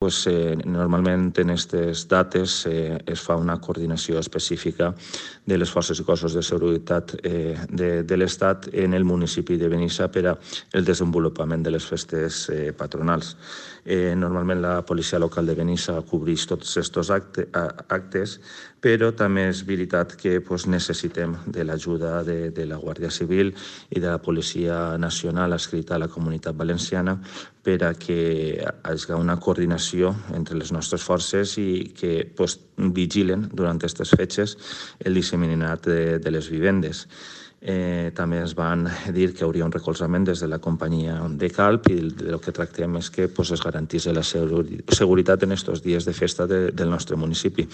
Normalment en aquestes dates es fa una coordinació específica de les forces i cossos de seguretat de l'Estat en el municipi de Benissa per al desenvolupament de les festes patronals. Normalment la policia local de Benissa cobreix tots aquests actes, però també és veritat que necessitem de l'ajuda de la Guàrdia Civil i de la Policia Nacional adscrita a la Comunitat Valenciana per a que hi hagi una coordinació entre les nostres forces i que vigilen durant aquestes fetges el disseminat de les vivendes. També ens van dir que hi hauria un recolzament des de la companyia de Calp i el que tractem és que es garantís la seguretat en aquests dies de festa del nostre municipi.